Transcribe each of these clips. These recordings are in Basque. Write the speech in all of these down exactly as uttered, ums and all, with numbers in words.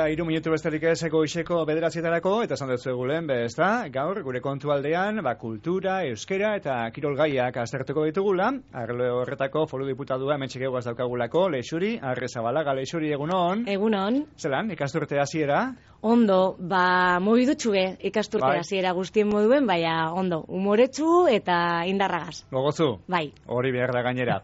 eta hiru minutu besterik ez goizeko bederatzietarako, eta esan dut zuegulen, be, ez da, gaur, gure kontu aldean, ba, kultura, euskera eta kirol gaiak aztertuko ditugula, arlo horretako foru diputadua hementxe geugaz daukagulako, Leixuri, Arrezabalaga, Leixuri, egunon. Egunon. Zelan, ikasturte hasiera? Ondo, ba, mobidutxue ikasturte bai. hasiera guztien moduen, baina ondo, umoretsu eta indarragaz. Gogozu? Bai. Hori behar da gainera.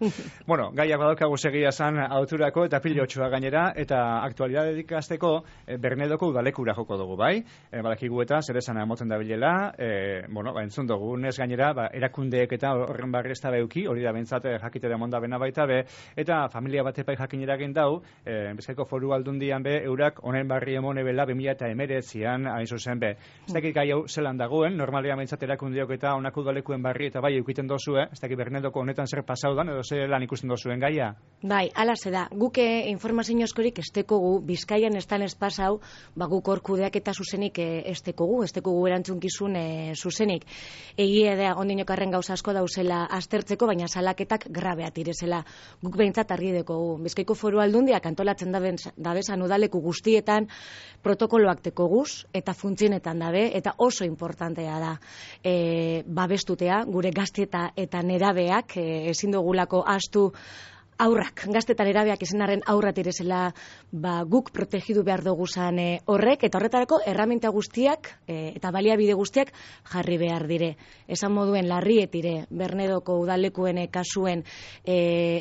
Bueno, gaiak badaukagu segia zan auturako eta pilotxua gainera, eta aktualidade dikasteko e, Bernedoko udalekura joko dugu, bai? E, badakigu eta zer esan emoten da bilela, e, bueno, ba, entzun dugu, nes gainera, ba, erakundeek eta horren barri ez da beuki, hori da bentsat jakite da monda bena baita be, eta familia bat epai jakinera egin dau, e, Bizkaiko Foru Aldundian be, eurak honen barri emone bela bi mila eta emeretzian hain zuzen be. Ez dakit gai hau zelan dagoen, normalia bentsat erakundeok eta honako udalekuen barri eta bai eukiten dozue, ez dakit Bernedoko honetan zer pasaudan, edo zer lan ikusten dozuen gaia? Bai, ala ze da, guke informazio askorik estekogu, Bizkaian estan ez pasau, ba guk hor kudeak eta zuzenik estekogu, estekogu erantzunkizun e, zuzenik. Egia da, ondinokarren gauza asko dauzela aztertzeko, baina salaketak grabeat irezela. Guk behintzat argi dekogu. Bizkaiko Foru Aldundiak antolatzen dabezan udaleku guztietan protokoloak tekoguz eta funtzionetan dabe, eta oso importantea da e, babestutea, gure gaztieta eta nerabeak e, ezin dugulako astu aurrak, gaztetan erabeak izenaren aurrat irezela, ba, guk protegidu behar dugu zan e, horrek, eta horretarako erraminta guztiak e, eta baliabide guztiak jarri behar dire. Esan moduen larrietire, Bernedoko udalekuen e, kasuen e,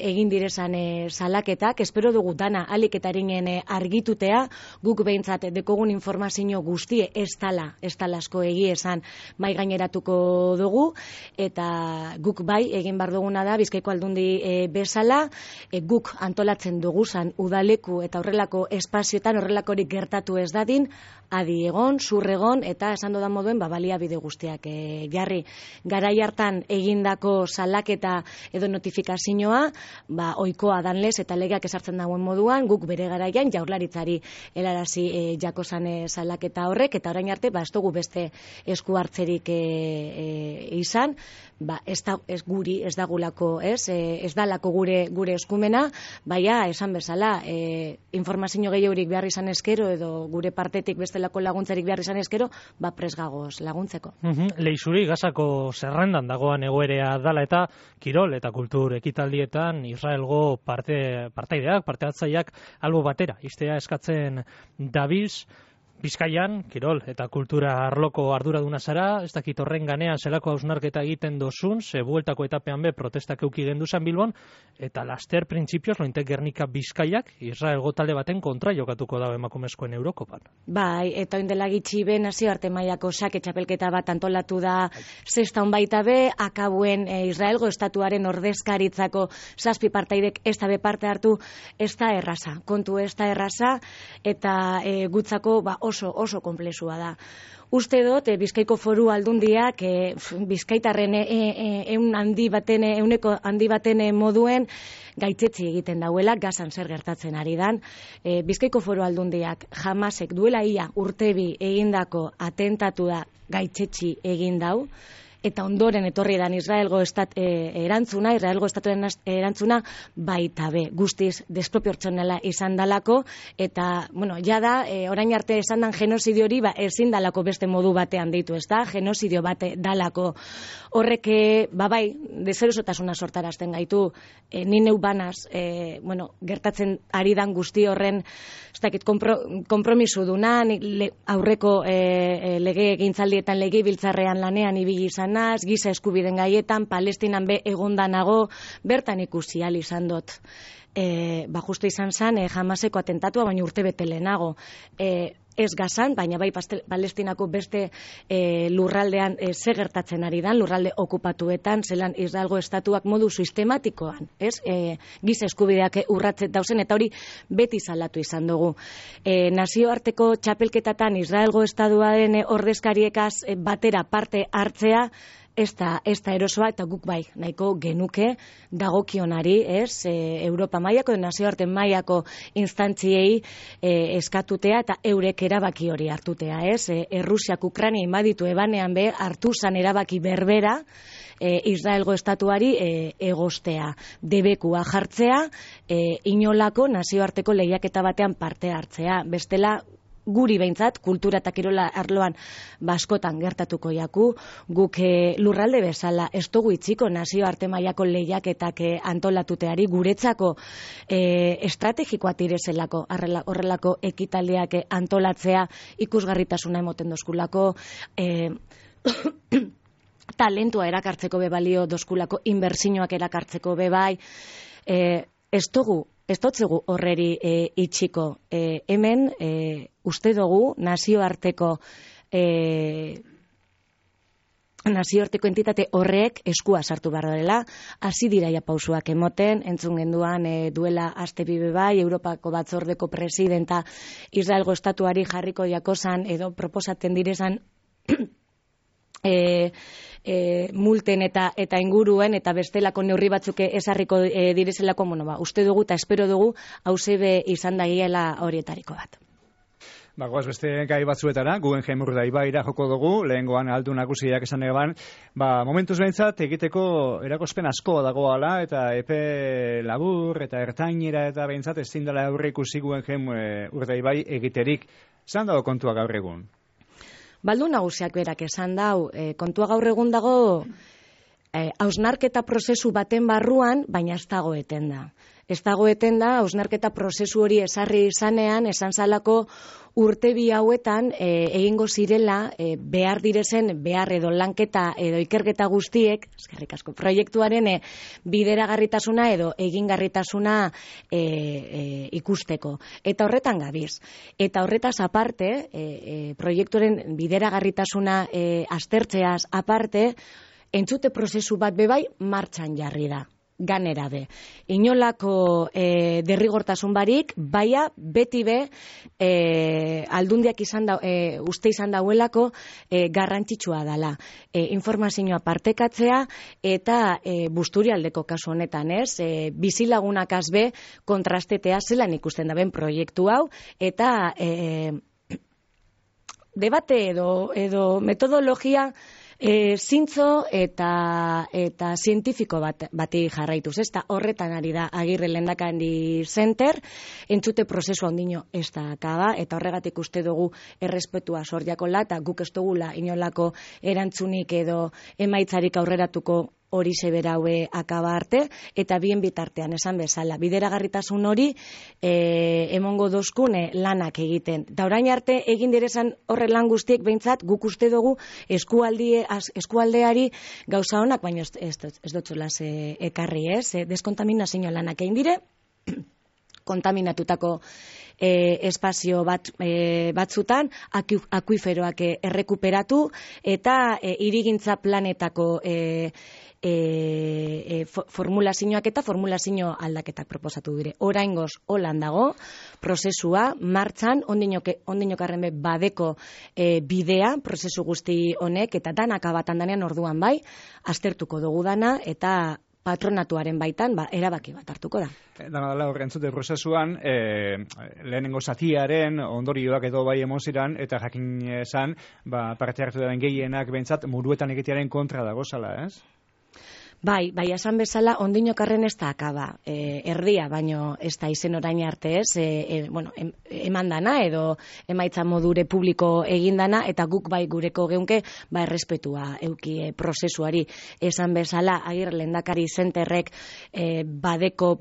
egin direzan e, salaketak, espero dugu dana aliketaringen e, argitutea, guk behintzat dekogun informazio guztie ez tala, ez talasko egi esan mai gaineratuko dugu, eta guk bai egin behar duguna da, Bizkaiko Aldundi e, bezala, E, guk antolatzen duguzan udaleku eta horrelako espazioetan horrelakorik gertatu ez dadin, adi egon, zurregon, eta esan dodan moduen ba, baliabide guztiak e, jarri. Garai hartan egindako salaketa edo notifikazioa, ba, oikoa danlez eta legeak esartzen dagoen moduan, guk bere garaian jaurlaritzari helarazi e, jakozan e, salaketa horrek, eta orain arte ba, ez dugu beste esku hartzerik e, e, izan, ba, ez, da, ez guri, ez dagulako, ez, e, ez dalako gure, gure eskumena, baina esan bezala, e, informazio gehiorik behar izan eskero, edo gure partetik bestelako laguntzarik behar izan eskero, ba presgagoz laguntzeko. Uhum, Leixuri, Gazako zerrendan dagoan egoerea dala eta kirol eta kultur ekitaldietan Israelgo parte, partaideak, parte hartzaileak albo batera, iztea eskatzen dabilz. Bizkaian, kirol eta kultura arloko arduraduna zara, ez dakit horren ganean zelako hausnarketa egiten dozun, ze bueltako etapean be protestak euki genduzan Bilbon, eta laster printzipioz lointek Gernika Bizkaiak Israelgo talde baten kontra jokatuko da emakumezkoen Eurokopan. Bai, eta oindela gitxi be nazioarte mailako sake txapelketa bat antolatu da zestan baita be, akabuen e, Israelgo estatuaren ordezkaritzako zazpi partaidek ez da be parte hartu, ez da erraza, kontu ez da erraza, eta e, gutzako ba, oso oso konplexua da. Uste dut, e, Bizkaiko Foru Aldundiak e, Bizkaitarren e, e, eun handi baten, euneko handi baten moduen gaitzetzi egiten dauela, Gazan zer gertatzen ari dan. E, Bizkaiko Foru Aldundiak Hamasek duela ia urtebi egindako atentatu da gaitzetzi egin dau, eta ondoren etorri dan Israelgo estat, e, erantzuna, Israelgo estatuen erantzuna baita be, guztiz desproportzionala izan dalako, eta, bueno, jada, e, orain arte esan dan genozidio hori, ba, ezin dalako beste modu batean deitu, ez da, genozidio bate dalako. Horrek, ba bai, deserosotasuna sortarazten gaitu, e, ni neu banaz, e, bueno, gertatzen ari dan guzti horren, ez dakit, kompro, kompromisu duna, le, aurreko e, e, lege egintzaldietan lege biltzarrean lanean ibili izan naz, giza eskubiden gaietan, Palestinan be egondanago, bertan ikusi al izan dut. E, ba justu izan zen, e, Hamaseko atentatua, baina urte bete lehenago. E, ez Gazan, baina bai Palestinako beste e, lurraldean e, ze gertatzen ari dan, lurralde okupatuetan, zelan Israelgo estatuak modu sistematikoan, ez? E, giza eskubideak urratzen dauzen, eta hori beti salatu izan dugu. E, nazioarteko txapelketatan Israelgo estatuaren ordezkariekaz e, batera parte hartzea, ez da, ez da erosoa, eta guk bai, nahiko genuke dagokionari, ez, e, Europa mailako, nazioarte mailako instantziei e, eskatutea, eta eurek erabaki hori hartutea, ez, e, Errusiak Ukraina inbaditu ebanean be, hartu zan erabaki berbera, e, Israelgo estatuari e, egostea, debekua jartzea, e, inolako nazioarteko lehiaketa batean parte hartzea, bestela, guri behintzat, kultura eta kirola arloan baskotan gertatuko jaku, guk e, lurralde bezala ez dugu itziko nazioarte mailako lehiaketak e, antolatuteari guretzako e, estrategikoa tirezelako horrelako ekitaldiak e, antolatzea ikusgarritasuna emoten doskulako, e, talentua erakartzeko be balio doskulako, inbertsioak erakartzeko be bai, e, ez dugu Ez dotzegu horreri e, itxiko. E, hemen, e, uste dugu, nazioarteko e, nazioarteko entitate horrek eskua sartu behar dela, hasi diraia pausuak emoten, entzun genduan e, duela aste bibe bai, Europako batzordeko presidenta Israelgo estatuari jarriko jakozan, edo proposaten direzan e, E, multen eta eta inguruen eta bestelako neurri batzuk ezarriko e, direzelako, bueno, ba, uste dugu eta espero dugu hauzebe izan dagiela horietariko bat. Ba, goaz beste gai batzuetara, Guggenheim Urdaibaira joko dugu, lehengoan aldu nagusiak esan eban, ba, momentuz behintzat egiteko erakospen asko dagoala, eta epe labur eta ertainera eta behintzat ezin dela aurre ikusi Guggenheim e, Urdaibai egiterik. Zan dago kontua gaur egun? Baldu nagusiak berak esan dau, e, kontua gaur egun dago e, hausnarketa prozesu baten barruan, baina ez dago eten da. Ez dago eten da, hausnarketa prozesu hori esarri izanean, esan zalako urte bi hauetan e, egingo zirela e, behar direzen, behar edo lanketa edo ikerketa guztiek, eskerrik asko, proiektuaren e, bideragarritasuna edo egingarritasuna e, e, ikusteko. Eta horretan gabiz. Eta horretaz aparte, e, e, proiektuaren bideragarritasuna e, aztertzeaz aparte, entzute prozesu bat bebai martxan jarri da. Ganera be. Inolako e, derrigortasun barik, baia beti be e, aldundiak izan da, e, uste izan dauelako e, garrantzitsua dela. E, informazioa partekatzea eta e, Busturialdeko kasu honetan, ez? E, bizilagunak azbe kontrastetea zelan ikusten da ben proiektu hau eta e, debate edo, edo metodologia E, zintzo eta eta zientifiko bat, bati jarraituz, ez da horretan ari da Agirre Lehendakari Center, entzute prozesu handino ez da akaba, eta horregatik uste dugu errespetua sordiakola, eta guk ez dugula inolako erantzunik edo emaitzarik aurreratuko hori zeberaue akaba arte, eta bien bitartean esan bezala. Bideragarritasun hori e, emongo dozkune lanak egiten. Da orain arte egin direzan horre lan guztiek behintzat guk uste dugu eskualdie, az, eskualdeari gauza honak, baina ez, ez, ez dotzulaz e, ekarri ez. E, deskontaminazio lanak egin dire, kontaminatutako e, espazio bat, e, batzutan, akuiferoak errekuperatu, eta e, hirigintza planetako e, E, e, formulazioak eta formulazio aldaketak proposatu dire. Oraingoz holan dago, prozesua, martxan, ondinokarren be badeko e, bidea, prozesu guzti honek, eta danak abatan danean orduan bai, aztertuko dugu dana, eta patronatuaren baitan, ba, erabaki bat hartuko da. Dana dela horren zute prozesuan, e, lehenengo zatiaren ondorioak edo bai emoziran, eta jakin esan, ba, parte hartu den gehienak behintzat muruetan egitearen kontra dago zala, ez? Bai, bai, esan bezala, ondinokarren ez da akaba, e, erdia, baino ez da izen orain arte ez, e, e, bueno, em, eman dana, edo emaitza modure publiko egin dana, eta guk bai gureko geunke, ba, errespetua euki e, prozesuari. Esan bezala, Agirre Lehendakari Centerrek e, badeko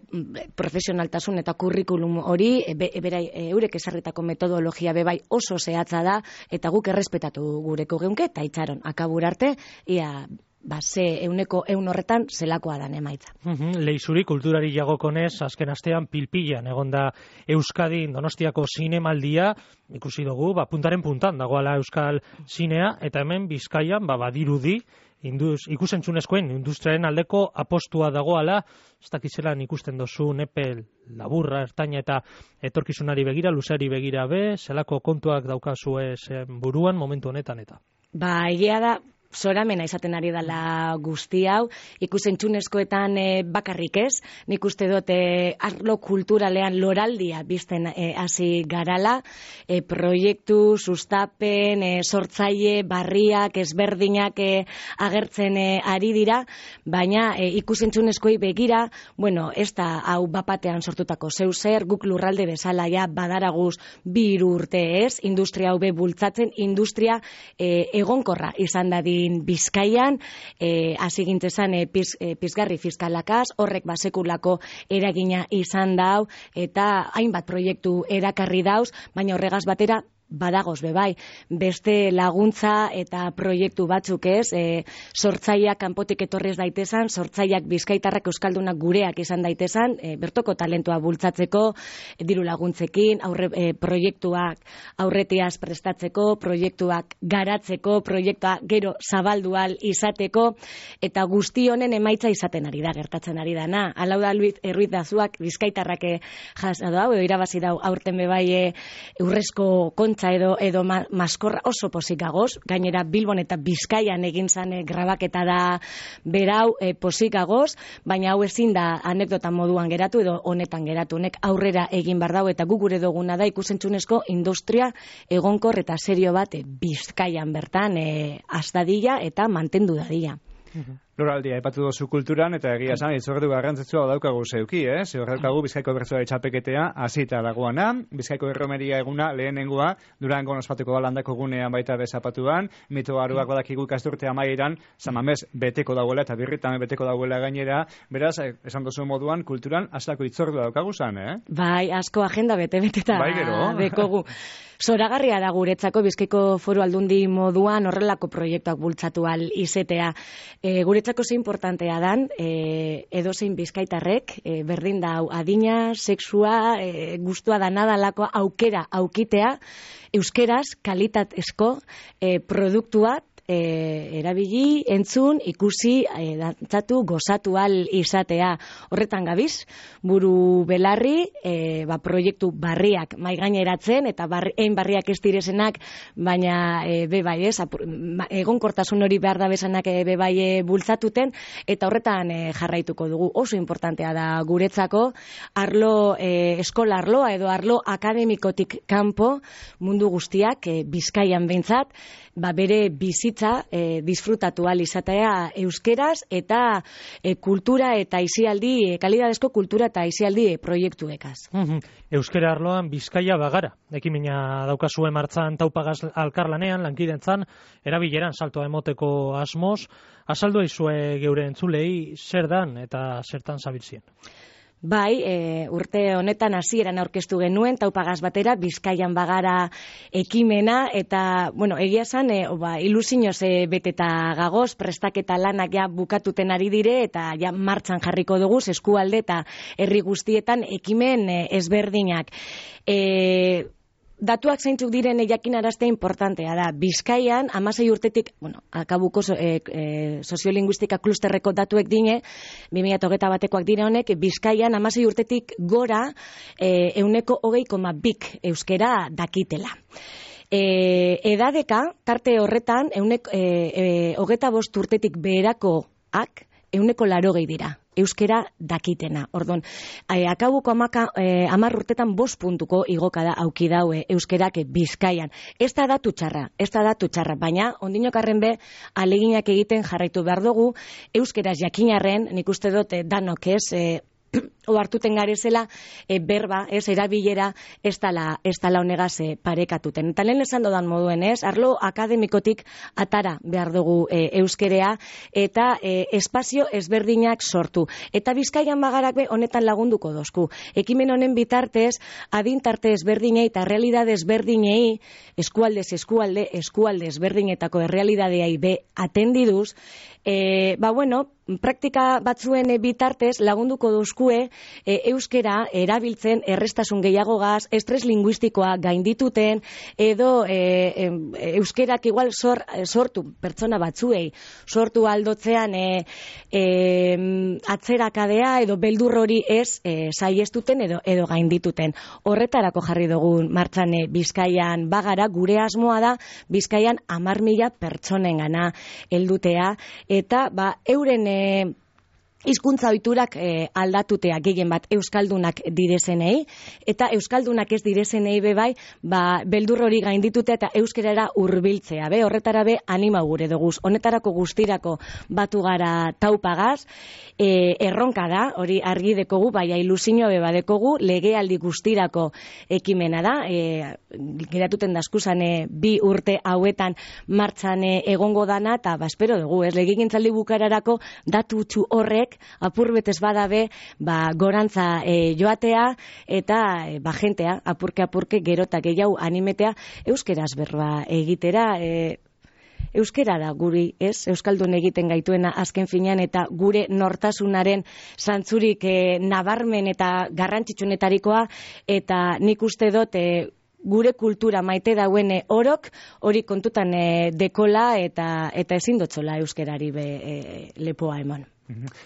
profesionaltasun eta kurrikulum hori, e, be, e, berai, e, eurek esarritako metodologia bebai oso zehatza da, eta guk errespetatu gureko geunke, eta itxaron, akaburarte, ia ba, ze euneko eun horretan zelakoa dan emaitza. Uhum, Leizuri kulturari jagokonez, azken astean pilpilan egonda Euskadin Donostiako zinemaldia, ikusi dugu, ba, puntaren puntan dagoala Euskal zinea, eta hemen Bizkaian, ba, badirudi, induz, ikusentzunezkoen industriaren aldeko apostua dagoala, ez dakizelan ikusten dozu nepel laburra, ertaina eta etorkizunari begira, luzari begira be, zelako kontuak daukazue zen buruan momentu honetan eta. Ba, egia da, zoramena izaten ari dela guzti hau, ikusentzunezkoetan e, bakarrik ez, nik uste dut e, arlo kulturalean loraldia bizten e, hasi garala, e, proiektu, sustapen, e, sortzaile, barriak, ezberdinak e, agertzen e, ari dira, baina e, ikusentzunezkoi begira, bueno, ez da hau bapatean sortutako zeu zer, guk lurralde bezala ja badaraguz bi hiru urte ez, industria hau be bultzatzen, industria e, egonkorra izan dadin Bizkaian, e, hasi gintzezan e, piz, e, pizgarri fiskalakaz, horrek basekulako eragina izan dau, eta hainbat proiektu erakarri dauz, baina horregaz batera, badagoz bebai, beste laguntza eta proiektu batzuk ez, e, sortzaileak kanpotik etorrez daitezan, sortzaileak bizkaitarrak euskaldunak gureak izan daitezan, e, bertoko talentua bultzatzeko, e, diru laguntzekin, aurre, e, proiektuak aurretiaz prestatzeko, proiektuak garatzeko, proiektua gero zabaldual izateko, eta guzti honen emaitza izaten ari da, gertatzen ari dana. Alau da Ruiz Dazuak bizkaitarrak jasa dau, edo irabazi dau aurten bebai e, urrezko kont edo edo ma, maskorra oso pozik gagoz, gainera Bilbon eta Bizkaian egin zan e, grabaketa da berau e, pozik gagoz, baina hau ezin da anekdota moduan geratu edo honetan geratu, nek aurrera egin bar dau eta gu gure duguna da ikusentzunezko industria egonkor eta serio bat e, Bizkaian bertan e, astadila eta mantendu dadila. Loraldia aipatu duzu kulturan, eta egia esan, itzordu garrantzitsua daukagu zeuki, eh? Zeur daukagu Bizkaiko bertsolari txapeketea hasita dagoana, Bizkaiko erromeria eguna lehenengoa, Durango ospatuko da landako gunean baita bezapatuan, mito aruak badakigu ikasturte amaieran, Samamez beteko dauela eta birritan beteko dauela gainera, beraz, esan duzu moduan, kulturan hasitako itzordu daukagu zan, eh? Bai, asko agenda bete-beteta bai, gero. dekogu. Zoragarria da guretzako Bizkaiko Foru Aldundi moduan horrelako proiektuak bultzatu al izetea. E, guretzako ze importantea dan, e, edozein bizkaitarrek, e, berdin da adina, sexua, e, gustua da nadalako aukera aukitea, euskeraz kalitatezko e, produktua E, erabili, entzun, ikusi, e, dantzatu, gozatu al izatea. Horretan gabiz, buru belarri, e, ba, proiektu barriak maigaineratzen, eta barri, ein barriak ez direzenak, baina e, bebai ez, egonkortasun hori behar da bezanak e, bebai e, bultzatuten, eta horretan e, jarraituko dugu. Oso importantea da guretzako, arlo, e, eskola arloa edo arlo akademikotik kanpo, mundu guztiak, e, Bizkaian behintzat, ba, bere bizitza e, disfrutatu al izatea euskeraz eta e, kultura eta aisialdi, e, kalidadezko kultura eta aisialdi e, proiektuekaz. Euskera arloan Bizkaia bagara. Ekimena daukazue martzan taupagaz alkarlanean, lankidentzan, erabileran saltoa emoteko asmoz. Azaldu aizue geure entzulei zer dan eta zertan zabiltzien. Bai, e, urte honetan hasieran aurkeztu genuen, taupagaz batera, Bizkaian bagara ekimena, eta, bueno, egia esan, e, ba, ilusinoz e, beteta gagoz, prestaketa lanak ja bukatuten ari dire, eta ja martxan jarriko dugu, eskualde eta herri guztietan ekimen e, ezberdinak. E, Datuak zeintzuk diren jakinaraztea importantea da. Bizkaian, hamasei urtetik, bueno, akabuko e, e, soziolinguistika klusterreko datuek dine, bi mila hogeita batekoak dire honek, Bizkaian hamasei urtetik gora e, euneko hogei koma bik euskera dakitela. E, edadeka, tarte horretan, eunek, e, e, hogeita bost urtetik beherakoak, euneko larogei dira. Euskera dakitena. Ordon, eh, akabuko amaka, eh, amar urtetan bost puntuko igoka da auki daue euskerak Bizkaian. Ez da datu txarra, ez da datu txarra, baina ondinokarren be aleginak egiten jarraitu behar dugu, euskeraz jakinarren, nik uste dut danok ez, eh, ohartuten garezela e, berba, ez, erabilera ez dala, ez dala honegaz e, parekatuten. Eta lehen esan dodan moduen, ez, arlo akademikotik atara behar dugu e, euskerea eta e, espazio ezberdinak sortu. Eta Bizkaian bagarak be honetan lagunduko dozku. Ekimen honen bitartez, adintarte ezberdinei eta realidade ezberdinei, eskualdez eskualde, eskualde ezberdinetako errealidadeai be atendiduz, E, ba, bueno, praktika batzuen bitartez lagunduko duzkue e, euskera erabiltzen errestasun gehiagogaz, estres linguistikoa gaindituten, edo e, e, euskerak igual sor, sortu pertsona batzuei, sortu aldotzean e, e, atzerakadea edo beldur hori ez e, saiestuten edo, edo gaindituten. Horretarako jarri dugun martxan e, Bizkaian bagara, gure asmoa da Bizkaian hamar mila pertsonengana heldutea, eta ba, euren e, hizkuntza ohiturak e, aldatutea gehien bat euskaldunak direzenei, eta euskaldunak ez direzenei be bai, ba, beldur hori gainditutea eta euskerara hurbiltzea, be, horretara be anima gure duguz. Honetarako guztirako batu gara taupagaz, e, erronka da, hori argi dekogu, bai ilusioa be badekogu, legealdi guztirako ekimena da, e, geratuten daskusan e, bi urte hauetan martxan e, egongo dana, eta ba, espero dugu, ez, legegintzaldi bukararako datu utxu horrek apurbetez badabe, ba, gorantza e, joatea, eta e, ba, jentea, apurke apurke gerotak gehiago animetea, euskeraz berba egitera, e, euskera da guri, ez? Euskaldun egiten gaituena azken finean, eta gure nortasunaren zantzurik e, nabarmen eta garrantzitsunetarikoa, eta nik uste dut e, gure kultura maite dauen e, orok, hori kontutan e, dekola, eta, eta ezin dotzola euskerari be, e, lepoa eman.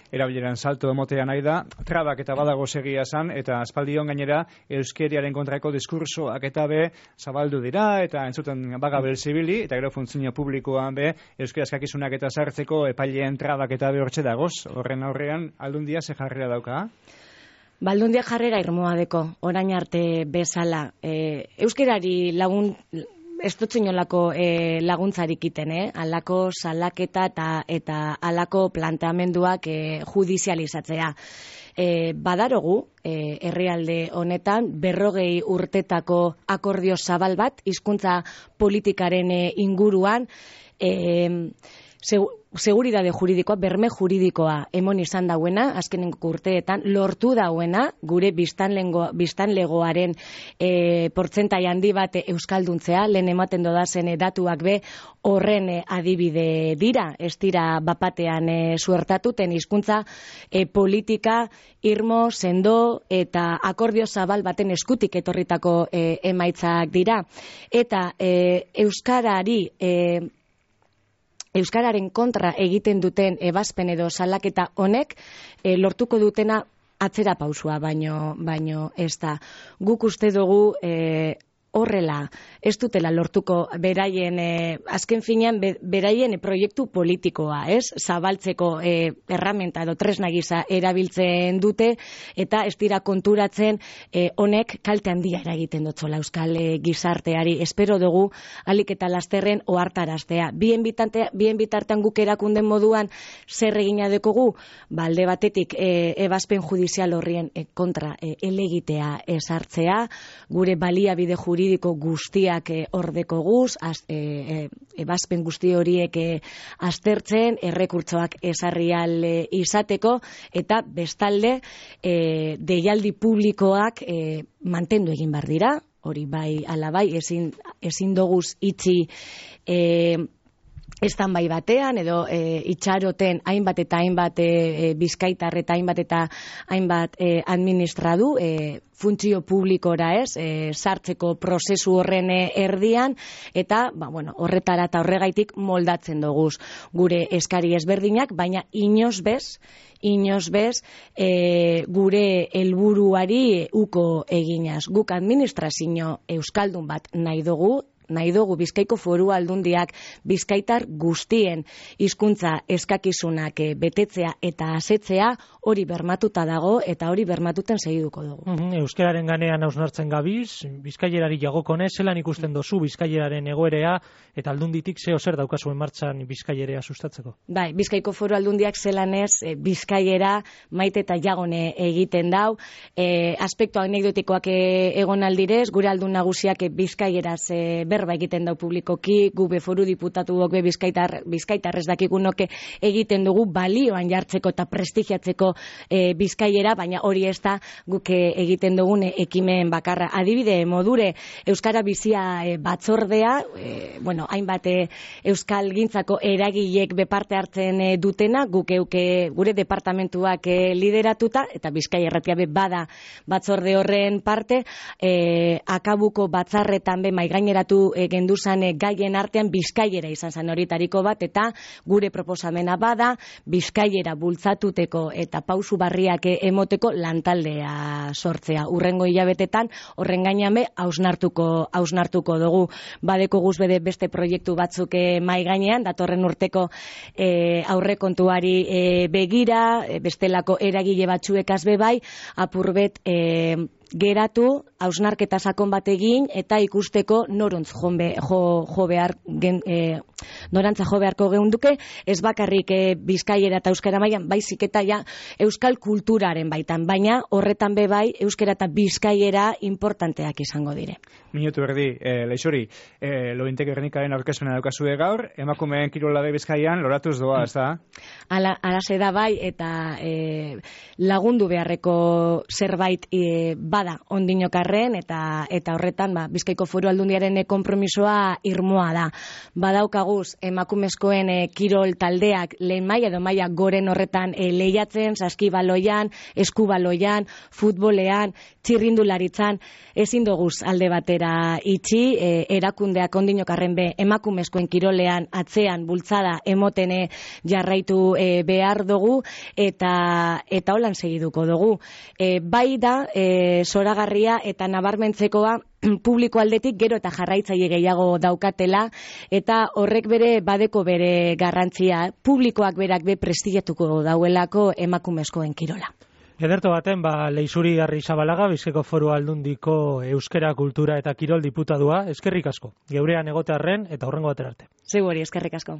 Erabileran salto emotea nahi da, trabak eta badago segia zan, eta aspaldion gainera euskeriaren kontrako diskursoak eta be zabaldu dira, eta entzuten baga belzibili, eta gero funtzio publikoan be euskera eskakizunak eta sartzeko epaileen trabak eta be hortxe dagoz, horren aurrean aldundia ze jarrera dauka? Baldundia jarrera irmoa deko, orain arte bezala. E, euskerari lagun... Ez dut zinolako e, laguntzarik iten, eh? Alako salaketa eta, eta alako planteamenduak e, judizializatzea. E, badarogu, e, herrialde honetan, berrogei urtetako akordio zabal bat, hizkuntza politikaren e, inguruan, e, segu, seguridade juridikoa, berme juridikoa emon izan dauena, azkenengo urteetan, lortu dauena, gure biztanlegoaren e, portzentai handi bat euskalduntzea, lehen ematen dodazen e, datuak be, horren e, adibide dira, ez dira bapatean e, suertatuten hizkuntza e, politika, irmo, sendo, eta akordio zabal baten eskutik etorritako e, emaitzak dira. Eta e, euskarari... E, Euskararen kontra egiten duten ebazpen edo salaketa honek e, lortuko dutena atzera pausua, baino, baino ez da. Guk uste dugu e, horrela, ez dutela lortuko beraien, e, azken finean, be, beraien proiektu politikoa, ez? Zabaltzeko e, erramenta edo tresna gisa erabiltzen dute, eta ez dira konturatzen e, honek kalte handia eragiten dutzola euskal e, gizarteari. Espero dugu, alik eta lasterren ohartaraztea. Bien, bitante, bien bitartean guk erakunden moduan zer egina dekogu, balde batetik e, ebazpen judizial horrien e, kontra e, elegitea esartzea, gure baliabide juridiko juridiko guztiak e, ordeko guz, az, e, e, ebazpen guzti horiek e, aztertzen, errekurtzoak esarrial e, izateko, eta bestalde e, deialdi publikoak e, mantendu egin behar dira, hori bai alabai, ezin, ezin doguz itxi e, estan bai batean, edo e, itxaroten hainbat eta hainbat e, bizkaitar eta hainbat eta hainbat e, administradu, e, funtzio publikora ez, e, sartzeko prozesu horren erdian, eta ba, bueno, horretara eta horregaitik moldatzen doguz gure eskari ezberdinak, baina inoz bez, inoz bez, e, gure helburuari uko eginaz. Guk administrazio euskaldun bat nahi dugu, nahi dugu Bizkaiko Foru Aldundiak bizkaitar guztien hizkuntza eskakizunak betetzea eta asetzea, hori bermatuta dago eta hori bermatuten segiduko dugu. Mm-hmm. Euskararen ganean hausnartzen gabiz, bizkailerari jagokone, zelan ikusten dozu bizkaileraren egoerea eta aldunditik zeo zer daukazuen martxan bizkailerea sustatzeko? Bai, Bizkaiko Foru Aldundiak zelan ez e, bizkailera maite eta jagone egiten dau, e, aspektu anekdotikoak e, egon aldirez, gure aldun nagusiak e, bizkaieraz e, ber berba egiten dau publikoki, gu be foru diputatuok be bizkaitar, bizkaitarrez dakigunoke egiten dugu balioan jartzeko eta prestigiatzeko e, bizkaiera, baina hori ez da guk egiten dugun ekimen bakarra. Adibide modure Euskara Bizia e, batzordea, e, bueno, hainbat e, Euskal Gintzako eragilek beparte hartzen e, dutena, guk euke gure departamentuak e, lideratuta, eta Bizkaia Irratia be bada batzorde horren parte, e, akabuko batzarretan be maigaineratu e, genduzan e, gaien artean Bizkaiera izan zen horitariko bat, eta gure proposamena bada Bizkaiera bultzatuteko eta pausu barriak emoteko lantaldea sortzea. Urrengo hilabetetan horren gainame hausnartuko hausnartuko dugu. Badeko guz bede beste proiektu batzuk e, mai gainean, datorren urteko e, aurrekontuari e, begira, e, bestelako eragile batzuekaz be bai, apurbet e, geratu, hausnarketa sakon bat egin, eta ikusteko noruntz jonbe, jo, jo behar, gen, e, norantza jo beharko geunduke, ez bakarrik e, Bizkaiera eta Euskara mailan, baizik eta ja Euskal kulturaren baitan, baina horretan be bai Euskara eta Bizkaiera importanteak izango dire. Minutu erdi, e, Leixuri, e, Lointek Gernikaren aurkezpena daukazue gaur, emakumeen kirola be Bizkaian loratuz doa, ez da? Ala, alase da bai, eta e, lagundu beharreko zerbait e, bada ondinokarren, eta eta horretan ba, Bizkaiko Foru Aldundiaren konpromisoa irmoa da. Badaukaguz emakumezkoen e, kirol taldeak lehen maila edo maila goren horretan e, lehiatzen, saskibaloian, eskubaloian, futbolean, txirrindularitzan, ezin doguz alde batera itxi, e, erakundeak ondinokarren be emakumezkoen kirolean atzean bultzada emotene jarraitu e, behar dugu, eta eta holan segiduko dugu. E, bai da, e, zoragarria eta nabarmentzekoa publiko aldetik gero eta jarraitzaile gehiago daukatela, eta horrek bere badeko bere garrantzia, publikoak berak be prestigiatuko dauelako emakumezkoen kirola. Ederto baten, ba, Leixuri Arrizabalaga, Bizkaiko Foru Aldundiko euskera, kultura eta kirol diputadua, eskerrik asko. Geurean egotearren eta hurrengo batera arte. Zeu hori, eskerrik asko.